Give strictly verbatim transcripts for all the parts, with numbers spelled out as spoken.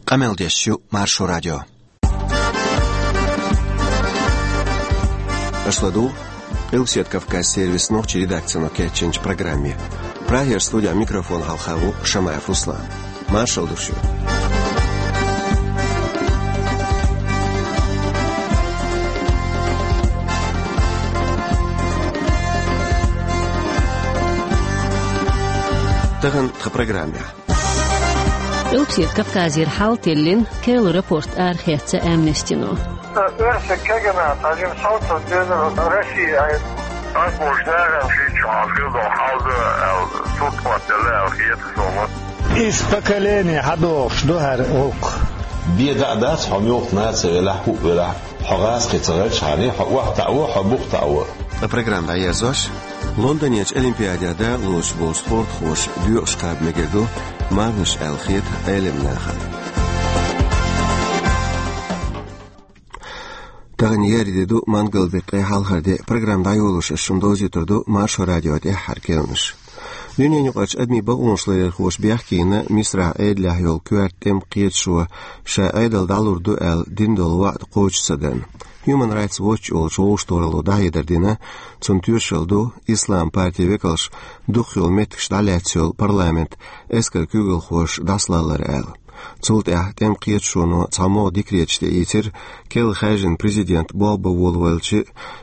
Къамел деш ю Маршо радио. Аша ладугӀу Къилбаседа Кавказ сервисан нохчийн редакцино кечйинчу программе. Прагера студехь микрофон хьалха ву Шамаев Руслан. Маршалла ду шуьга. Тахана тхан программехь. Къилбаседа Кавказера хьал тиллина Керла рапорт арахецна Амнестино. Оьрсийн кегийчу нахана жима совцо дезара Россия. Ас бохуш нахана шийтта шо хьан хир долу хьал дан аьлла, сурт хӀоттаделла аьлла хета суна. Иза поколение хьадогӀуш ду хӀара гӀуллакх. Бен даа дац хьо муьлхха нахаца велахь, хӀуъа велахь, хьо гӀазкхи ца хилча хьуна, хьо охьатаӀа во, хьо бухтаӀа во. Ткъа программа дӀаерзош, Лондонерчу Олимпиадехь дакъалоцуш болчу спортхоша доькъуш кхаба мегар ду марханаш аьлла хета Ӏеламнахана. Тахана еарин де ду, мангал-декъе хьалхара де. Программа дӀайолош ас шуна довзуьйтур ду Маршо радион тӀаьххьара керланаш. Дуьненаюкъарчу адамийн бакъонаш ларъярхоша бехке йина Мисрахь Ӏедалехь йолу коьрта тӀеман кхеташо ша Ӏедал дӀалур ду аьлла дина долу ваӀда кхочуш ца дарна. Human Rights Watch олучу вовшахтохаралло дӀахьедар дина, цунна тоьшалла ду ислам партин векалш дукхах йолу меттигаш дӀалаьцна йолу парламент эскаран куьйгалхоша дӀасалалар аьлла. Цул тӀаьхьа тӀеман кхеташоно цхьа могӀа декреташ тӀеийцира, керла хаьржина президент болх бан волавелча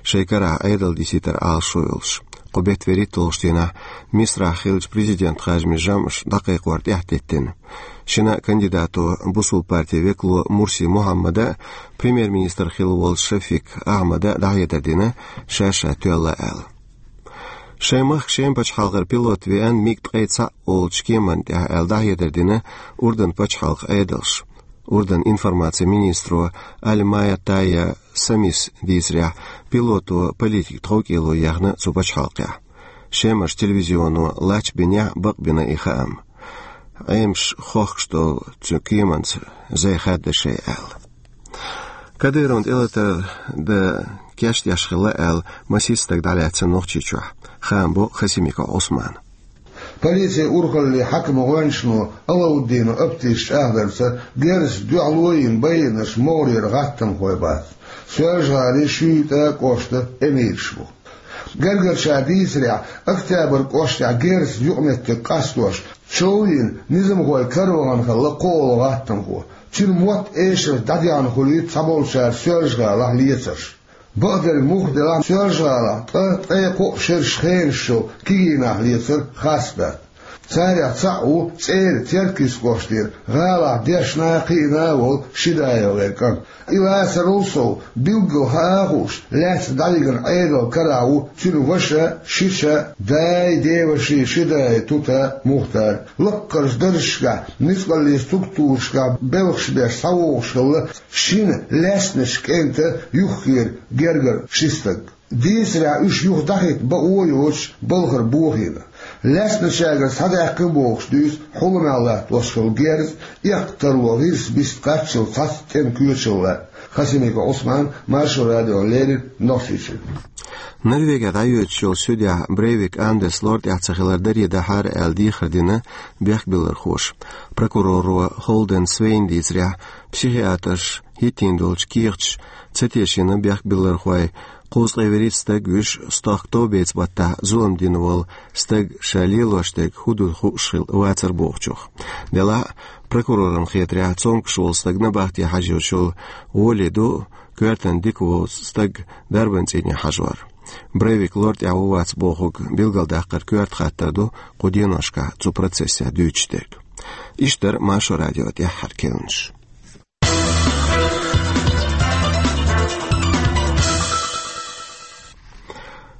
шайн карахь Ӏедал дисийтар Ӏалашо йолуш. Кху беттан вуьрхӀитталгӀачу дийнахь Мисрахь хиллачу президентан харжамийн жамӀаш дӀакхайкхор тӀаьхьатеттина. Шина а кандидато, бусалба партин векало Мурси Мухьаммада а, премьер-министр хилла волчу Шафик Ахьмада а дӀахьедар дина, ша-ша тоьлла аьлла. Шайн махка шен пачхьалкхера пилот веана МиГ ткъе цхьаъ олучу кеманна тӀехь аьлла дӀахьедар дина Урдан пачхьалкхан Ӏедалша. Урдан информацин министро Аль-Майя Тайя Самис дийцарехь, пилото политикан тховкӀело ехна цу пачхьалкхехь. Шемарчу телевизионо лач бинехь а бакъбина и хаам. Ӏемаш хохкуш долу цу кеманца зай хадда шайн аьлла. Кадыровн тӀелатар дан кечдеш хилла аьлла, масех стаг дӀалаьцна Нохчийчохь. Хаам бо Хасимиков Ӏусмана. Полицин урхаллин хьаькаман гӀоьнчано Алауддинов Аптис чӀагӀдарца, герзаца дуьхьало йина байинарш могӀарера гӀаттамхой бац. Соьлжа-ГӀалин, Шуьйтан кӀоштан эмираш бу. Гергарчара дийцарехь, Октябрь кӀоштехь герзаца юкъаметтиг къастош, чов йина, низамхойн караван хилла кхоалгӀа гӀаттамхо. Цуьнан мотт эшарца дӀадехна хуьлуьйту цхьаболчара Соьлжа-ГӀалахь лецарш. Бакъдерг муха делахь, Соьлжа-ГӀалахь ткъа, ткъе кхоъ шераш хенаш йолу кегий нах лецар хастадаккха. Царех цхьаъ ву ЦӀеран Теркйист кӀоштара гӀалахь дешна а, кхиъна а волу Шидаев-гӀеран кӀант. И лацарал сов, билггал хаа а хууш, лаьцна дӀавигна Ӏедалан карахь ву цуьнан ваша, шича, дай, деваши Шидаев Тута Мухтар. Лаккхарчу даржашкахь, ницкъаллин структурашкахь белхаш беш схьавогӀуш хилла шина лаьцначу кӀентан юххера гергара ши стаг. Дийцарехь, уьш юха дӀахӀитта бакъо а йоцуш балхара бохийна. Лаьцначаьргара схьадаьккхина бохуш дуьйцу хьуламехь латтош хилла герз, эккха тарло гӀирс биста кхаччалц цхьацца тӀеман коьчалла. Хасимиков Ӏусман, Маршо радиона леррина, Нохчийчуьра. Норвегехь дӀайоьдуш йолчу суьдехь Брейвик Андерс лор тӀехь ца хилар даре дахьара аьлла дехар дина бехкбиллархоша. Прокуроро Холден Свейна дийцарехь, психиатрша хӀиттийна долчу кехаташ ца тешийна бехкбиллархой, кхузткъе вуьрхӀитта стаг вуьш, стохка товбеца баттахь зулам дина волу стаг ша лелош дерг хӀун ду хууш хилла вацара бохучух. Делахь а, прокурорна хетарехь, цомгуш волу стаг набахте хьажа йолуш йолу гӀоли ду коьртана дика воцу стаг дарбан цӀийне хьажор. Брейвик лор тӀехь ву-вац бохург билгалдаккхар коьрта хаттар ду кху деношкахь цу процессехь дуьйцуш дерг. Иштта дара Маршо радион тӀаьххьара керланаш.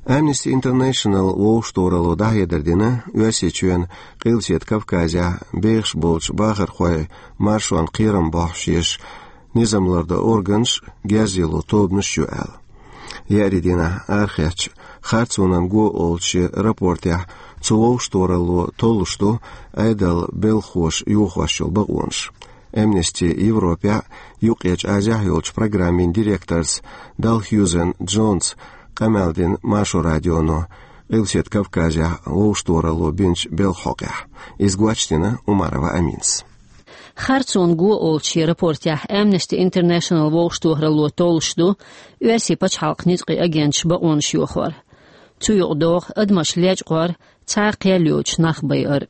Amnesty International вовшахтохаралло дӀахьедар дина, Оьрсийчоьнан Къилбаседа Кавказехь бехаш болчу бахархойн маршонна кхерам бохьуш еш низам лардан органаш, герз йилло тобанаш ю аьлла. Еарин дийнахь арахецначу «Харцонан го» олучу рапортехь цу вовшахтохаралло толлуш ду Ӏедалан белхахоша йохош йолу бакъонаш. Amnesty Европехь а, Юккъерчу Азехь а йолчу программин директорца Далхьюзен Джонс къамел дина Маршо радионо Къилбаседа Кавказехь вовшахтохаралло бинчу белхан хьокъехь. Иза гочдина Умарова Аминас. Харцонан го олучу шен рапортехь Amnesty International вовшахтохаралло толлуш ду оьрсийн пачхьалкхан ницкъийн агенташ бакъонаш йохор. Цу юкъа догӀу адамаш лечкъор, цхьа а кхел йоцуш нах байар.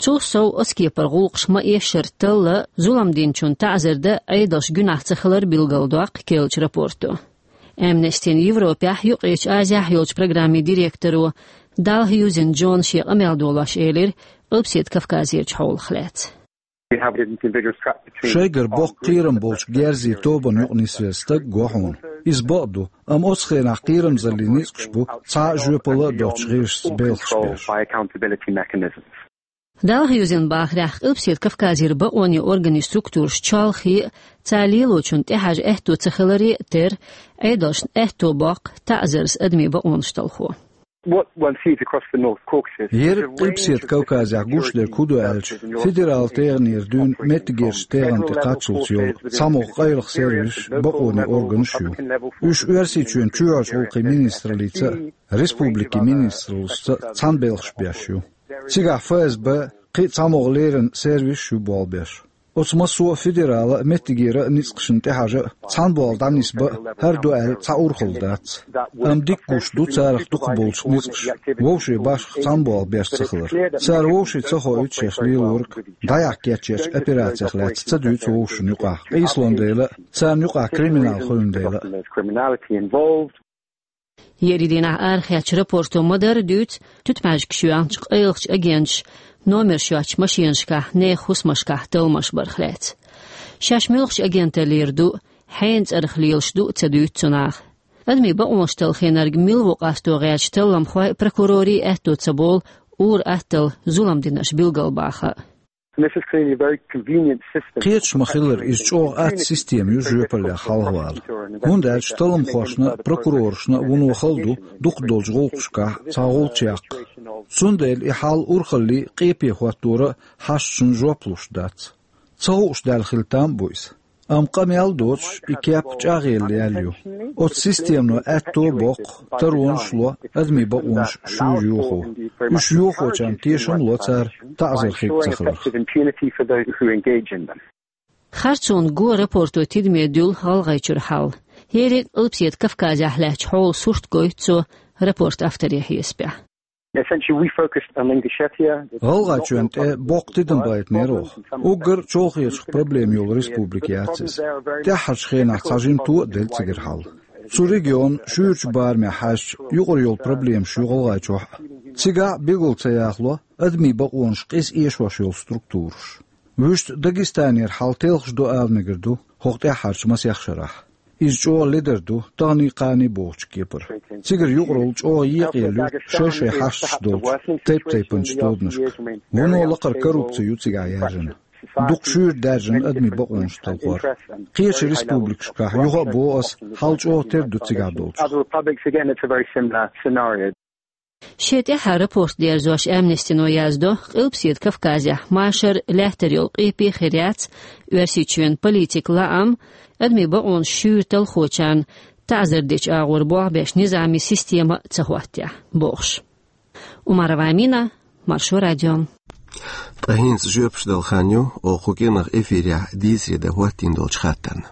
Цул сов, оцу кепара гӀуллакхаш ма-эшшара талла, зулам динчунна таӀзар дан Ӏедалш гуьнахь ца хилар билгалдоккху керлачу рапорто. Amnesty-н Европехь, Юккъерчу Азехь йолчу программин директоро Далхьюзен Джона шен къамел долош элира Къилбаседа Кавказерчу хьолах лаьцна. We have an ambiguous gap between Шайгара боккха кхерам болчу герзийн тобанна юкъа нисвелла стаг го хьуна. Иза бакъ ду, амма оцу хенахь кхерамзаллин ницкъаш бу цхьа а жоьпалла а доцучу гӀирсашца белхаш беш. By accountability mechanisms. Далхьюзен бахарехь, Къилбаседа Кавказера бакъонийн органийн структураш чолхе а, цара лелочунна тӀехьажа аьтто ца хиларе а терра, Ӏедалшна аьтто боккху таӀзарца адамийн бакъонаш талхо. What one sees across the North Caucasus is a range of different Ерриг Къилбаседа Кавказехь гуш дерг хӀун ду аьлча, федералан тӀегӀанера дуьйна меттигерчу тӀегӀан тӀе кхаччалц йолу цхьамогӀа къайлаха сервисаш, бакъонийн органаш ю. Уьш Оьрсийчоьнан чоьхьарчу гӀуллакхийн министраллица а, республикийн министраллица а цхьаьна белхаш беш ю. Цигахь ФСБ, кхин а цхьамогӀа леррина сервисаш ю болх беш. Оцу массо а федералан а, меттигера а ницкъашна тӀехьажа а, цхьана болх дӀанисбан а хӀара ду аьлла цхьа урхалла дац. Амма дика гуш ду царах дукхахболчу ницкъаша вовшийн башха цхьана болх беш ца хилар. Цара вовшийн ца хоуьйту шаьш лелориг, дӀаяхьа кечъечу операцех лаьцна ца дуьйцу вовшашна юкъахь къийсалун дела а, царна юкъахь криминал хуьлун дела а. Ерриг дийнахь арахецначу рапорто ма-дарра дуьйцу туьтмӀаьжгаш йоьлхучу къайлахчу агенташа номерш йоцучу машенашкахь нехан хӀусамашкахь талламаш барх лаьцна. Шаьш муьлхачу агенталлера ду, хьенан цӀарах лелаш ду а ца дуьйцу цу наха. Адамийн бакъонаш талхийнарг мила ву къасто гӀерташ талламхой а, прокурорий а аьтто ца болу ур-атталла зулам динарш билгалбаха а. And this is clearly a very convenient system. Кхеташ ма-хиллара, иза чӀогӀа атта система ю жоьпаллех хьалхавала. ХӀунда аьлча талламхошна а, прокурорашна а вуно хала ду дукхах долчу гӀуллакхашкахь цхьа гӀулч яккха. Цундела и хьал урхаллий, къепе хӀоттора а хьашташна жоп луш дац. Ца хууш даьлла хила там а бу иза. Амма къамел а доцуш, и кеп чӀагӀъелла яьлла ю. Оцу системано аьтто а боккху, таронаш а ло адамийн бакъонаш шуьйра йохо. Уьш йохочарна тешам а ло цара таӀзар хирг ца хиларх. Харцонан го рапорто тидаме дуьллу ГӀалгӀайчуьра хьал. ХӀерриг а Къилбаседа Кавказехь лаьттачу хьолан сурт гойту цо рапортан авторийн хьесапехь. Essentially, we focused on Ingushetia. ГӀалгӀайчоьнна тӀе боккха тидам байтинера оха. Уггар а чолхечух проблема йолу республика яц иза. ТӀаьххьарчу хенахь цхьа жимато а делла цигара хьал. Цу регионан шуьйрачу барамехь хьаьжча, юкъара йолу проблемаш ю ГӀалгӀайчохь а. Цигахь а билгал ца яхало адамийн бакъонаш къиза эшош йолу структураш. Вуьшта Дагестанера хьал телхаш ду ала мегар ду хӀокху тӀаьххьарчу масех шарахь. Иза чӀогӀа ледар ду таханний-кханний бохучу кепара. Цигара юкъаралла чӀогӀа екъаелла ю шай-шай хьашташ долчу тайп-тайпанчу тоданашка. Вуно лакхара коррупци ю цигахь яьржина. Дукха шуьйра даьржина адамийн бакъонаш талхор. Кхечу республикашкахь, юха а боху ас, хьал чӀогӀа тера ду цигахь долчух. Other republics, again, it's a very similar scenario. Шен тӀаьххьара рапорт дерзош, Amnesty-но яздо, Къилбаседа Кавказехь машар лаьттара йолу къепе хир яц, Оьрсийчоьнан политикан лаам адамийн бакъонаш шуьйра талхочарна таӀзар дечу агӀор болх беш низамийн система а ца хӀоттахь, бохуш. Умарова Амина, Маршо радио. Ткъа хӀинца жоьпаш дала хан ю оха кху кӀиранах эфирехь дийцаре дан хӀоттийна долчу хаттарна.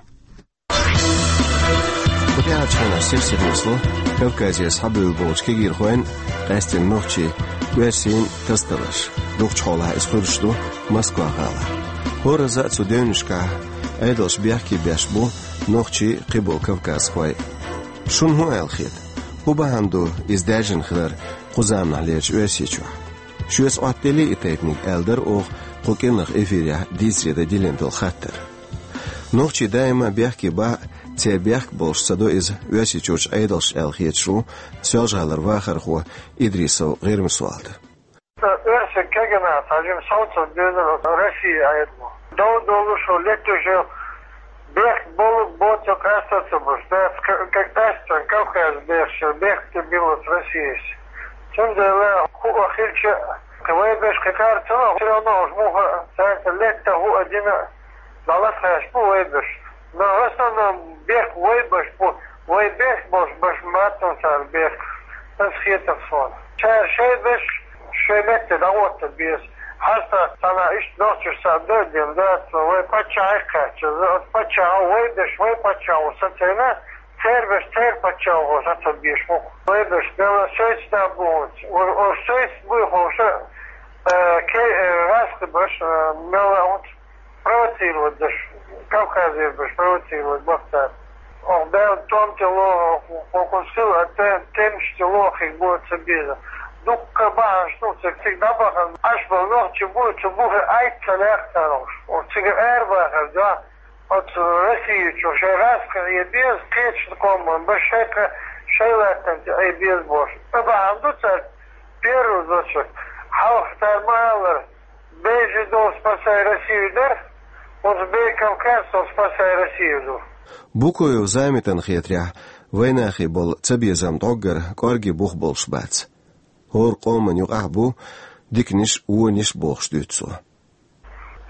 Кху тӀаьхьарчу хенахь сирсира нисло Кавказера схьабевлла болчу кегийрхойн а, къаьсттина нохчийн, оьрсийн а тасадаларш. Дукхачу хьолахь иза хуьлуш ду Москва-гӀалахь. ХӀоразза а цу девнашкахь Ӏедалш бехке беш бу нохчий а, кхиболу кавказхой а. Шуна хӀун аьлла хета? ХӀун бахьана ду иза даьржина хилар кху заманахьлерчу Оьрсийчохь? Шуьца Ӏоттаделлий и тайпаниг, аьлла дара оха кху кӀиранах эфирехь дийцаре дан диллина долу хаттар. Нохчий даима бехке бахь а, церан бехк болуш ца до иза Оьрсийчуьрчу Ӏедалша аьлла хеташ ву Соьлжа-ГӀалара вахархо Идрисов ГӀирма Солта. Оьрсийн кегийнаш цхьа жима совцур дуьйна Россин Ӏедало. Дов долуш а, летуш а, бехк болу а, боцу а къаьстар ца буьлуш дац, к-, к-, къаьсттина Кавказан бехаш, бехк тӀе билуш Россияс. Цундела хӀуъа хилча а, кхин вай берш кхин кхара ца ло, всё равно уж муха цаьрца летта хӀуъа дина а, дӀалатхаьш бу вай берш. Но в основном бехк вай берш бу, вай бехк болуш берш ма бац цара бехк. Ас хетар суна. Цара шайн берш шайн метте дӀахӀотта беза. Хьаста цхьана иштта нохчаш цхьа дойдем дац, вай паччахье кхаьчча, оцу паччахьо вай беш, вай паччахьо сацийна, церан беш, церан паччахьо сацо беш ву. Вай беш, мелла шайца да бу хӀунца. Ур, ур шайца буй хӀуша, э, ке, э, раскъа беш, э, мелла хӀунца провоцировать деш, Кавказера беш провоцировать бахтар. Ох, бел том тело, кокус хил, а те, темш тело, хиг бу ца беза. Дукка бахаш, ну, цига, цига дӀабахан, аш бал нохчи бу, ца бухе айт ца лаьхтар уж. Ох, цига эр бахар, да. Оцу Россия чу шайн раскъа Ӏе беза, кхечу къоман, баш шайн кха-, шайн латтанца Ӏе беза бохуш. Ца бахьана ду цара первый зачет. Хьалха цара ма аллара, бежи дол спасай Россию дара, оцу бей Кавказ со спасай Россию ду. Букоев Замитан хетарехь, вайнахе болу ца безам дӀоггара кӀорге бух болуш бац. ХӀора къоман юкъахь бу диканиш, вониш бохуш дуьйцу цо.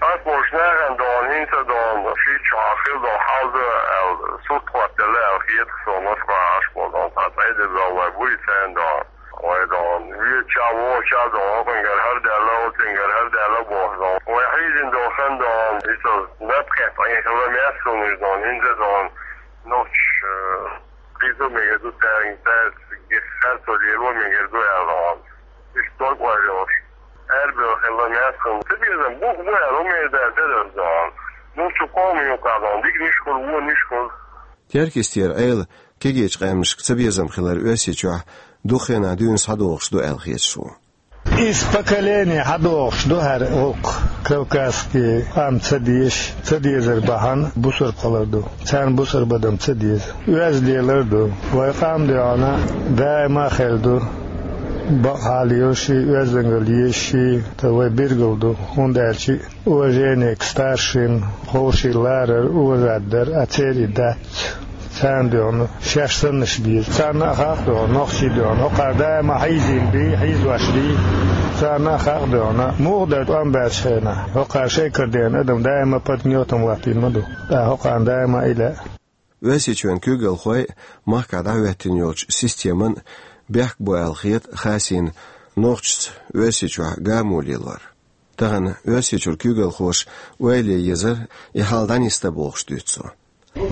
Ас болуш нахана дона, хӀинца дона, шийтта шо хьан хила дона хьалда аьлла, сурт хӀоттаделла аьлла хета со, Москва Ӏаш болу дона, цхьа цӀе деза вай буй царна дона. Вай дона, везача, воча дона, хӀокхуьнгара хӀара даьлла, оцуьнгара хӀара даьлла боху дона. Вай хьийзина дона хан дона, иза напхетта Ӏехалла маьссунаш дона, хӀинца дона, нохчаш, э, кхийсо мегар ду, цаьрга, цаьрца гех харцо лело мегар ду аьлла дона. Иштта дог ойла йолуш. Арабевлла хилла маьссунна. Ца безам бух бу аьлла, хӀумма эр даьлла тера дона. Ну, цу къоман юкъахь дона, диканиш хуьлу, вониш хуьлу. Теркйистера Ӏела кегийчу къаьмнашка ца безам хилар Оьрсийчохь дукха хенахь дуьйна схьадогӀуш ду аьлла хеташ ву. Иза поколение хьадогӀуш ду хӀара гӀуллакх. Кавказский къам ца дезаш, ца дезар бахьана бусурба хилар ду. Царна бусурба адам ца деза. Оьзда лелар ду. Вай къам дуьхьал даима а хир ду. Бакъ хьал йолуш, оьздангалла езаш, та вай билгал ду. ХӀунда аьлча уважение к старшим, ховший ларар, уважать дар, а церан и дац. Царна дуьхьал шаьш саннаш беза. Царна а хаа дуьхьал, нохчий дуьхьал. ХӀокхара даима хьийзийна бий, хьийзош бий. Царна а хаа дуьхьал, муха дара тӀом баьчу хенахь. ХӀокхара шайн кара дена адам даима патриотом латтийна ма ду. ТӀаккха хӀокхарна даима и лаьа. Оьрсийчоьнан куьйгалхой махкахь дӀахӀоьттина йолчу системан бехк бу аьлла хета Хасина нохчашца Оьрсийчохь гамо лелор. Тахана Оьрсийчуьра куьйгалхоша ойла ян езара и хьал дӀанисдан бохуш дуьйцу цо.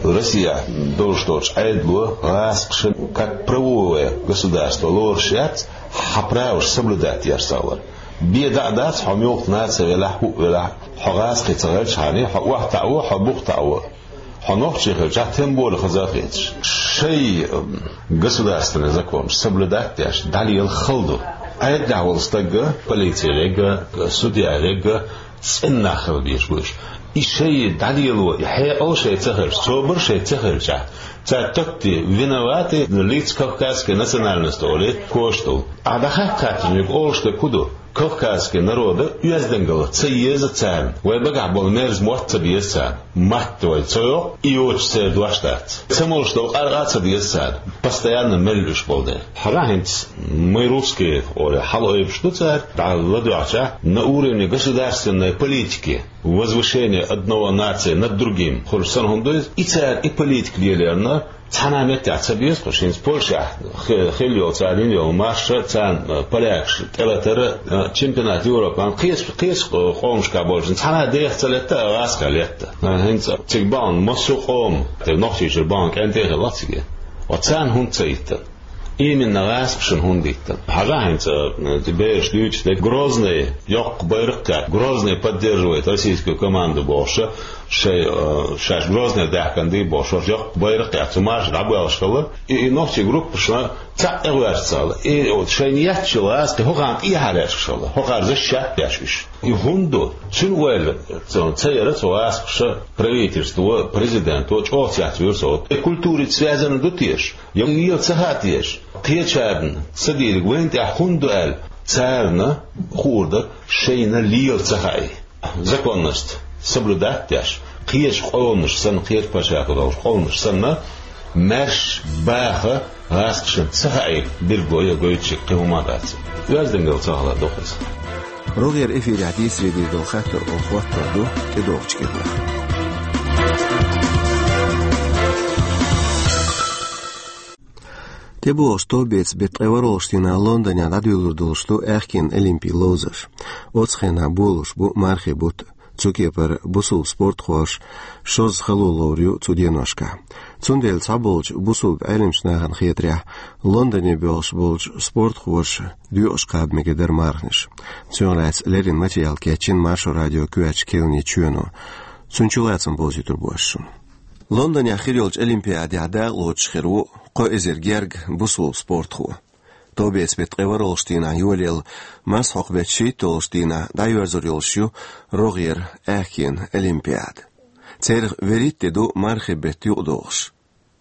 Россехь долуш долчу Ӏедало гӀазкхаша как правовое государство лоруш яц, хьан праваш соблюдать еш ца вара. Бен дӀа а дац, хьо муьлхха наци велахь, хӀуъа велахь, хьо гӀазкхи ца хилчхьана, хьо охьатаӀаво, хьо бухтаӀаво. Хьо нохчи хилчахь, тем более хаза а хеташ. Шайн, м, государственный законаш соблюдать деш, дӀалела хала ду. Ӏедалехь волу стаг, полици верг, судья верг, цӀена нах хила безаш бу уьш. И шайн дӀалело, и хьекъал шайн ца хилча, собар шайн ца хилчахь, цара тотти виноваты лица кавказской национальности олий кошта долу. Ахьа дӀахаьттича, олуш дерг хӀун ду? Кавказский народа оьздангалла ца еза царна, вай багахь болу мерза мотт ца беза царна. Матта вай ца йоккху, и йоцуш церан дош дац. Ца молуш долу къаркъа а ца деза царна, постоянно мел уьш болу дела. Хьажахь хӀинца, мы русские олий, хьала ойбуш ду цара, дӀа ладоьгӀча, на уровне государственной политики, возвышение одного нации над другим, хуьлуш санна хӀума ду иза, и цара и политика лелорна, цхьана а меттехь ца беза кху, хӀинца Польшехь хи-, хилла йолу цара йина йолу марш, царна, э, полякаш тӀелатар, э, чемпионат Европы, кхечу, кхечу къомашкахь болчу, цхьана а деха ца летта, а гӀазкхех летта. Э, хӀинца цига бахана массо а къома, тӀе Нохчийчуьра бахана кӀентий а хилла цига. Ва царна хӀунда ца йиттина? Именно гӀазкхашна хӀунда йиттина? Хьажахь хӀинца, э, бераш дуьйцуш дерг, Грозный йоккха байракх а кхаьчна, Грозный поддерживает российскую команду бохуш, шайн, э, шаьш Грозный даьхкина дий бохуш, йоккха байракх а кхаьчна, цу марша дӀабоьлхуш хилла. И, и нохчийн группашна цхьаъ тӀегӀоьрташ ца хилла. И вот шайна етташ йолу гӀазкхий хӀокхарна тӀехьа лаьтташ хилла, хӀокхара защищать деш уьш. И хӀунда ду? Цуьнан ойла ца, ца яра цу гӀазкхаша, правительство, президенто чӀогӀа цецвуьйра со. И культурица связано ду теша? Я лела ца хаьа теша? Кхечарна ца дийриг вайна тӀехь хӀунда ду аьлла, царна хуур дара шайна лела ца хаий. Законность соблюдать деш, кхечу къоманаш санна, кхечу пачхьалкхехь долчу къоманаш санна, маьрша баха гӀазкхашна ца хаий билгало я гойтуш кхин хӀума а дац. Оьздангалла ца хилар ду-кх иза. РогӀера эфирехь дийцаре дийр долу хаттар оха хӀоттор ду тӀедогӀучу кепара. ТӀебогӀуш товбеца беттан ткъе ворхӀалгӀачу дийнахь Лондонехь дӀадоьллур долуш ду аьхкенан олимпийн ловзарш. Оцу хенахь болуш бу мархин бутт, цу кепара бусулба спортхоша шозза хало ловр ю цу деношкахь. Цундела цхьаболчу бусулба Ӏеламчу нахана хетарехь, Лондоне боьлхуш болчу спортхоша доькъуш кхаба мегар дара марханаш. Цунах лаьцна леррина материал кечйина Маршо радион коьртачу кхаьънийн чоьно. Цуьнан чулацам бовзуьйтур бу ас шуна. Лондонехь хир йолчу олимпиадехь дакъалоцуш хир ву кхо эзар гергга бусулба спортхо. Товбеца беттан ткъе ворхӀалгӀачу дийнахь йолаелла, марсхьокху беттан шийтталгӀачу дийнахь дӀайоьрзур йолуш ю рогӀера аьхкенан олимпиада. Царах вуьрхӀитта де ду мархин бетта юкъадогӀуш.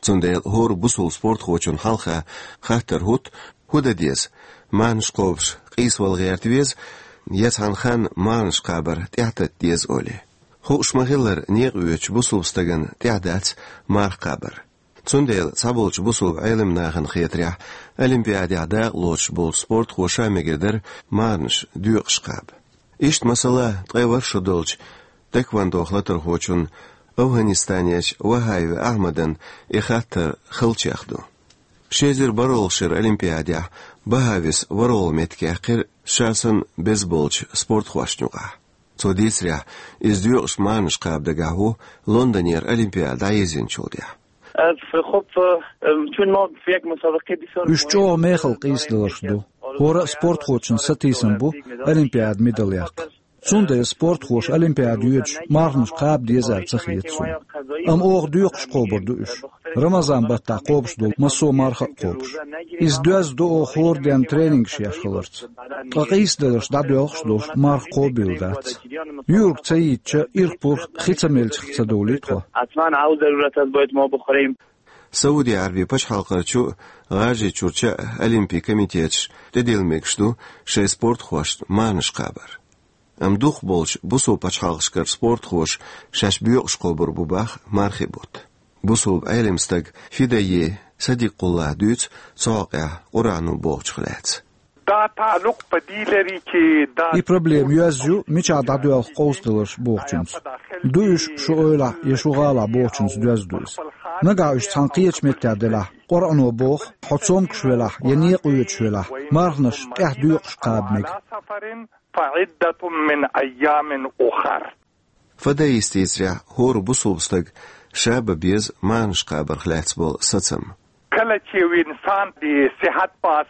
Цундела хӀора бусулба спортхочунна хьалха хаттар хӀутту, хӀун дан деза, марханаш кхобуш къийсавала гӀерта веза, я цхьана ханна марханаш кхабар тӀаьхьататта деза олий. Хууш ма-хиллара, некъа оьцучу бусулба стагана тӀехь дац марха кхабар. Цундела цхьаболчу бусулба Ӏеламчу нахана хетарехь, олимпиадехь дакъалоцуш болчу спортхоша мегар дара марханаш доькъуш кхаба. Иштта, масала, ткъе ворхӀ шо долчу тхэквондох латархочунна АфгӀанистанерчу Вахаева Ахьмадна и хаттар халчех ду. Ши эзар бархӀалгӀачу шеран олимпиадехь Бахаевс ворхӀалгӀа меттиг яьккхира ша санна беза болчу спортхошна юкъахь. Цо дийцарехь, иза доькъуш марханаш кхаба дагахь ву Лондонера олимпиада дӀаерзийначул тӀаьхьа. Э, في خب، э، э، كل ما في هيك مسابقة بيصير. Уьш чӀогӀа мехала къийсадаларш ду. ХӀора а спортхочун сатийсам бу олимпиада медаль яккха. Цундела спортхоша олимпиада йоьдуш марханаш кхаба дезар ца хета суна. Амма оха доькъуш кхобур ду уьш. Рамазан баттахь кхобуш долу массо а марха а кхобуш. Иза доьзна ду оха хӀора денна тренингаш еш хиларца. Ткъа къийсадаларш дӀадоьлхуш долуш марха кхобийла дац. Юург ца йийцча, ирх-пурх хи ца мелча ца довлий тхо. Сауди Ӏаьрбийн пачхьалкхерчу а, ГӀажарийчуьрчу а олимпийн комитеташ тӀедилла мегаш ду шайн спортхошна марханаш кхабар. Амма дукхахболчу бусулба пачхьалкхашкара спортхоша шаьш боькъуш кхобур бу боху мархин бутт. Бусулба Ӏеламстага Фидайи Садикъуллас дуьйцу цу хьокъехь Къуръано бохучух лаьцна. И проблема йоьзна ю, мичахь дӀадоьлху къовсадаларш бохучуьнца. Ду уьш шу эвлахь я шу гӀалахь бохучуьнца доьзна ду иза. Нагахь уьш цхьана кхечу меттехь делахь, Къуръано боху, хьо цомгуш велахь я некъа оьцуш велахь, марханаш тӀаьхьа доькъуш кхаба мега. فعدة من أيام أخر. Фидайис дийцарехь, хӀора бусулба стага ша бан беза марханаш кхабарх лаьцна болу сацам.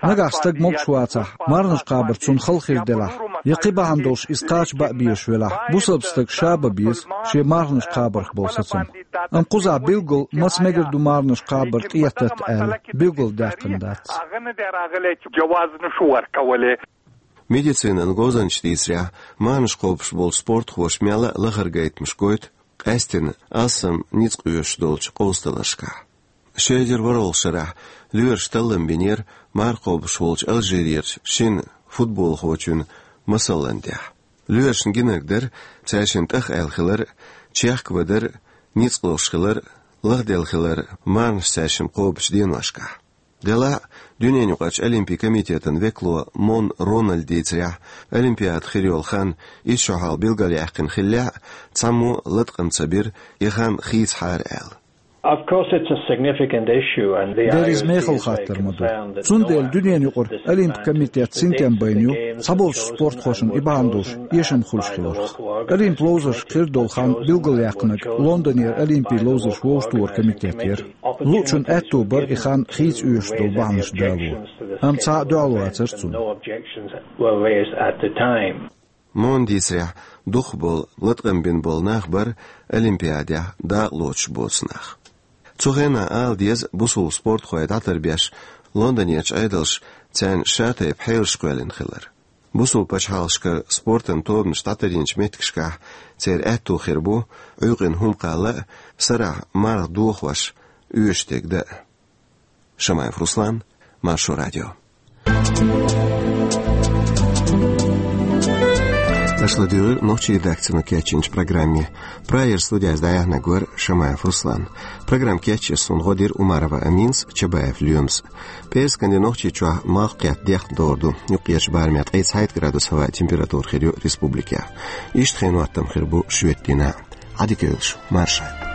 Нагахь стаг могуш вацахь, марханаш кхабар цунна хала хир делахь, я кхин бахьана долуш иза кхача бан безаш велахь, бусалба стага ша бан беза шен марханаш кхабарх болу сацам. Амма кхузахь билггал маца мегар ду марханаш кхабар тӀетатта аьлла, билггал даьккхина дац. Медицинан говзанчаша дийцарехь, марханаш кхобуш болчу спортхоша мелла а лахара гайтамаш гойту къаьсттина алсам ницкъ оьшуш долчу къовсадаларшкахь. Ши эзар ворхӀалгӀачу шарахь лоьраша таллам бинера марха кхобуш волчу Алжирерчу шина футболхочун масалан тӀехь. Лоьрашна гинарг дара цаьршинна тӀах аьлла хилар, чехка вадар, ницкъ лозуш хилар, лахделла хилар марханаш цаьршимма кхобучу деношкахь. Делахь а, дуьненаюкъарчу Олимпийн комитетан векало Мон Рональда дийцарехь, Олимпиада хир йолу хан итт шо хьалха билгалъяьккхина хиллехь а, цхьаммо а латкъам ца бира и хан хийцахьара аьлла. Of course, it's a significant issue, and the Дерриг мехала хаттар ма ду. Цундела дуьненаюкъара Олимпийн комитет синтем байна ю, цхьаболчу спортхошна и бахьана долуш эшам хуьлуш хиларх. Олимпийн ловзаршка хир долу хан билгалъяьккхинарг Лондонера Олимпийн ловзарш вовшахтохаран комитет яра. Луучун аьтто бара и хан хийца оьшуш долу бахьанаш дало. Амма цхьа а дуьхьал вацара цунна. Мон дийцарехь, дукхахболу латкъам бина болу нах бара Олимпиадехь дакъалоцуш боцу нах. Цу хенахь ала деза, бусулба спортхой дӀатарбеш Лондонерчу Ӏедалша царна шатайпа хьелаш кхоьллина хилар. Бусулба пачхьалкхашкара спортан тобанаш дӀатарйинчу меттигашкахь церан аьтто хир бу Ӏуьйкъина хӀума кхалла а, сарахь марха дохош оьшуш дерг дан а. Шамаев Руслан, Маршо радио. Аша ладуьйгӀира нохчийн редакцино кечйинчу программе. Прагера студехь дӀаяьхьнарг вара Шамаев Руслан. Программа кечъеш суна гӀо дира Умарова Аминас, Чабаев Лоьмас. ПӀераскан де Нохчийчохь малх-кхетта дехна догӀур ду. Юккъерчу барамехь ткъе цхьайтта градус хӀаваан температура хир ю республикехь. Иштта хенан хӀоттам хир бу шоьтан дийнахь. Ӏадика йойла шу, марша.